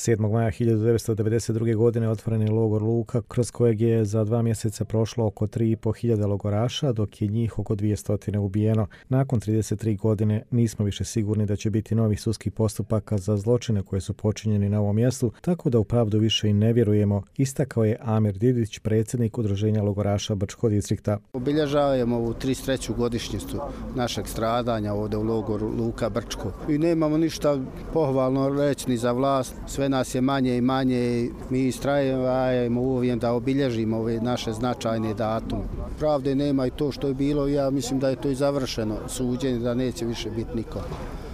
7. maja 1992. godine otvoren je logor Luka, kroz kojeg je za 2 mjeseca prošlo oko 3.500 logoraša, dok je njih oko 200 ubijeno. Nakon 33 godine nismo više sigurni da će biti novih sudskih postupaka za zločine koje su počinjeni na ovom mjestu, tako da u pravdu više i ne vjerujemo, istakao je Amir Didić, predsjednik Udruženja logoraša Brčkog distrikta. Obilježavamo ovu 33. godišnjicu našeg stradanja ovdje u logoru Luka Brčko. I nemamo ništa pohvalno reći ni za vlast, sve nas je manje i manje i mi istrajemo uvijek da obilježimo ove naše značajne datume. Pravde nema i to što je bilo, ja mislim da je to i završeno suđenje, da neće više biti niko.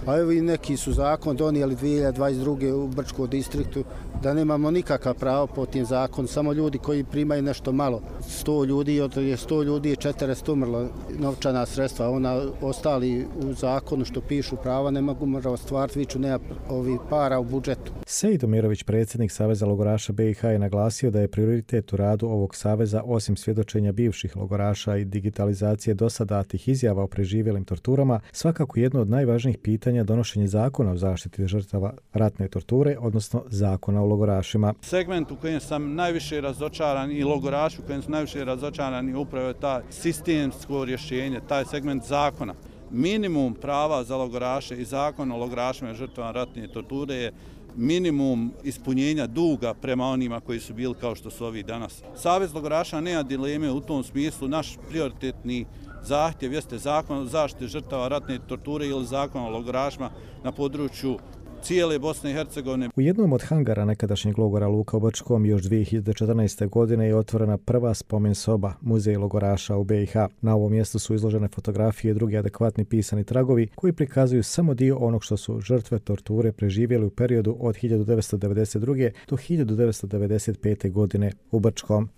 A evo i neki su zakon donijeli 2022. u Brčkom distriktu da nemamo nikakav pravo po tim zakonu, samo ljudi koji primaju nešto malo. 100 ljudi, od 100 ljudi je 400 umrlo novčana sredstva, ona ostali u zakonu što pišu prava ne mogu ostvariti, viču nema ovih para u budžetu. Sejid Omirović, predsjednik Saveza logoraša BiH, je naglasio da je prioritet u radu ovog saveza, osim svjedočenja bivših logoraša i digitalizacije dosadatih izjava o preživjelim torturama, svakako jedno od najvažnijih pitanja donošenje zakona o zaštiti žrtava ratne torture, odnosno zakona o logorašima. Segment u kojem sam najviše razočaran i logoraši u kojem sam najviše razočaran je upravo taj sistemsko rješenje, taj segment zakona. Minimum prava za logoraše i zakon o logorašima i žrtvama ratne torture je minimum ispunjenja duga prema onima koji su bili kao što su ovi danas. Savez logoraša nema dileme u tom smislu, naš prioritetni zahtjev jeste zakon o zaštiti žrtava ratne torture ili zakon o logorašima na području cijele Bosne i Hercegovine. U jednom od hangara nekadašnjeg logora Luka u Brčkom još 2014. godine je otvorena prva spomen soba, muzej logoraša u BiH. Na ovom mjestu su izložene fotografije i drugi adekvatni pisani tragovi koji prikazuju samo dio onog što su žrtve torture preživjeli u periodu od 1992. do 1995. godine u Brčkom.